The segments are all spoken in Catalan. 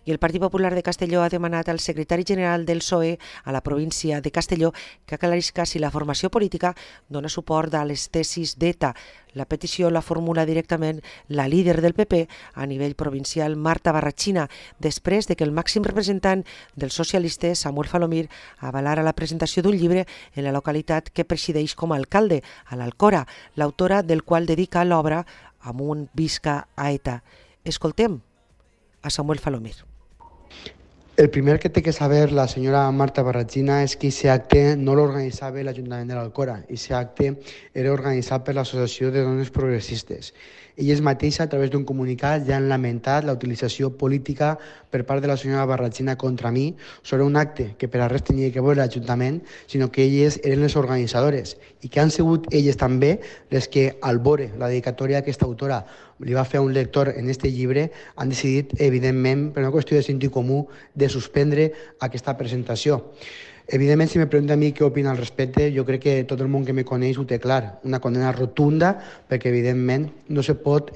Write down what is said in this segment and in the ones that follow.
I el Partit Popular de Castelló ha demanat al secretari general del PSOE a la província de Castelló que aclarisca si la formació política dona suport a les tesis d'ETA. La petició la formula directament la líder del PP a nivell provincial, Marta Barratxina, després de que el màxim representant dels socialistes, Samuel Falomir, avalara la presentació d'un llibre en la localitat que presideix com a alcalde, a l'Alcora, l'autora del qual dedica l'obra Amunt visca a ETA. Escoltem a Samuel Falomir. El primer que té que saber la senyora Marta Barratxina és que aquest acte no l'organitzava l'Ajuntament de l'Alcora. Aquest acte era organitzat per l'Associació de Dones Progressistes. Elles mateixes, a través d'un comunicat, ja han lamentat la utilització política per part de la senyora Barratxina contra mi sobre un acte que per a res tenia que veure l'Ajuntament, sinó que elles eren les organitzadores i que han sigut elles també les que, al veure la dedicatòria d'aquesta autora li va fer a un lector en aquest llibre, han decidit, evidentment, per una qüestió de sentit comú, de suspendre aquesta presentació. Evidentment, si me pregunta a mi què opina al respecte, jo crec que tot el món que me coneix ho té clar. Una condena rotunda, perquè evidentment no se pot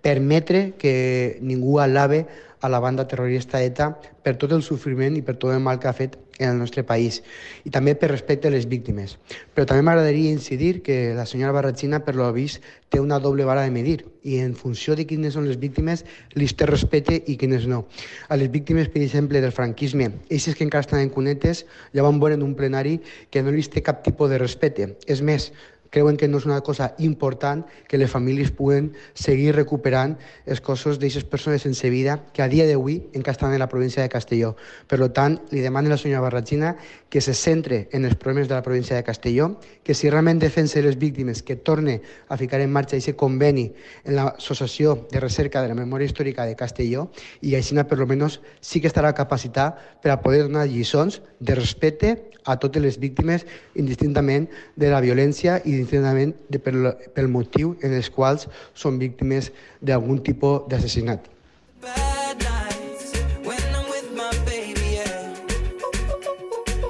permetre que ningú alabe a la banda terrorista ETA per tot el sofriment i per tot el mal que ha fet en el nostre país. I també per respecte a les víctimes. Però també m'agradaria incidir que la senyora Barratxina, per lo vist, té una doble vara de medir i en funció de quines són les víctimes li té respecte i quines no. A les víctimes, per exemple, del franquisme, eixes que encara estan en cunetes, ja van veure en un plenari que no li té cap tipus de respecte. És més, creuen que no és una cosa important que les famílies puguen seguir recuperant els cossos d'aquestes persones sense vida que a dia d'avui encara estan en la província de Castelló. Per tant, li demano a la senyora Barratxina que se centre en els problemes de la província de Castelló, que si realment defensa les víctimes, que torne a ficar en marxa aquest conveni en l'Associació de Recerca de la Memòria Històrica de Castelló i així, per almenys, sí que estarà capacitat per a poder donar lliçons de respecte a totes les víctimes, indistintament de la violència i indistintament pel motiu en els quals són víctimes d'algun tipus d'assassinat.